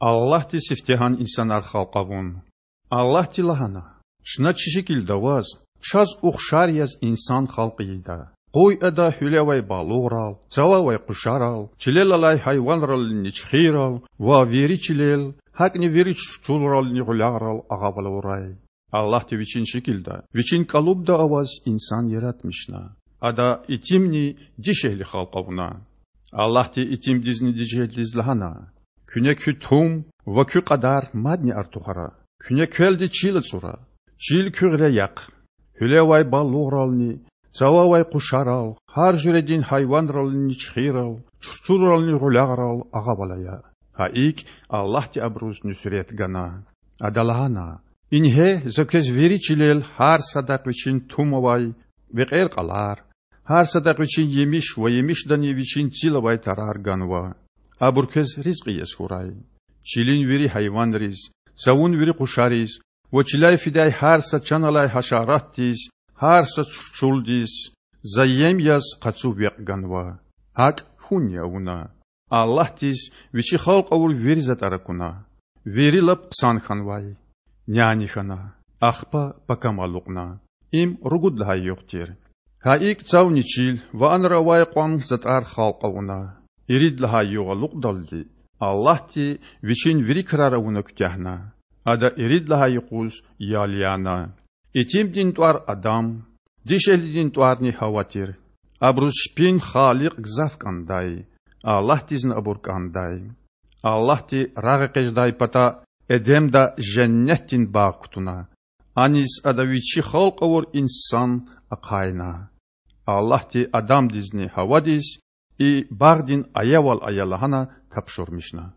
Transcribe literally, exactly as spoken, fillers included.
Аллагьди сифтегьан инсанар халкь авун. Аллагьди лагьана: Чна чи шикилда аваз, чаз ухшар яз инсан халкь ийида. Къуй ада гьуьле авай балугърал, цава авай къушарал, чилел алай гьайванрални чуьхуьрал ва вири чилел, гьакӀни вири чурчулрални гъуьлягърал агъавал авурай. Аллагьди Вичин шикилда, Вичин кӀалубда аваз инсан яратмишна. Ада итимни дишегьли халкь авуна. Аллагьди итимдизни дишегьлидиз лагьана: Куьне куь тум ва куь кьадар мадни артухара. Куьне квелди чил ацӀура, чил куь гъиле яхъ. Гьуьле авай балугърални, цава авай къушарал, гьар жуьредин гьайванрални чуьхуьрал, чурчулрални гъуьлягърал агъавал ая. Гьа икӀ Аллагьди абуруз нуьсрет гана. Ада лагьана: Ингье, За квез вири чилел гьар садахъ вичин тум авай векьер-кьалар, гьар садахъ вичин емиш ва емишдани вичин цил авай тарар ганва. Абур квез ризкьи яз хьурай. Чилин вири гьайванриз, цавун вири къушариз ва чиляй фидай гьар са чан алай гьашаратдиз, гьар са чурчулдиз За ем яз къацу векь ганва. ГьакӀ хьунни авуна. Аллагьдиз Вичи халкь авур вири затӀар акуна. Вири лап хъсан хьанвай. Няни хьана, ахпа пакамал алукьна. Им ругуд лагьай югъ тир. Гьа икӀ цавни чил ва анра авай кьван затӀар халкь авуна. Ирид лагьай югъ алукьдалди Аллагьди Вичин вири крар авуна куьтягьна. Ада ирид лагьай юкъуз ял яна. Итимдин тӀвар Адам, дишегьлидин тӀварни Гьава тир. Абуруз чпин Халикь гзаф кӀандай. Аллагьдизни абур кӀандай. Аллагьди рагъэкъечӀдай пата Эдемда женнетдин багъ кутуна. Аниз Ада Вичи халкь авур инсан ахъайна. Аллагьди Адамдизни Гьавадиз и багъдин аявал ая лагьана тапшурмишна.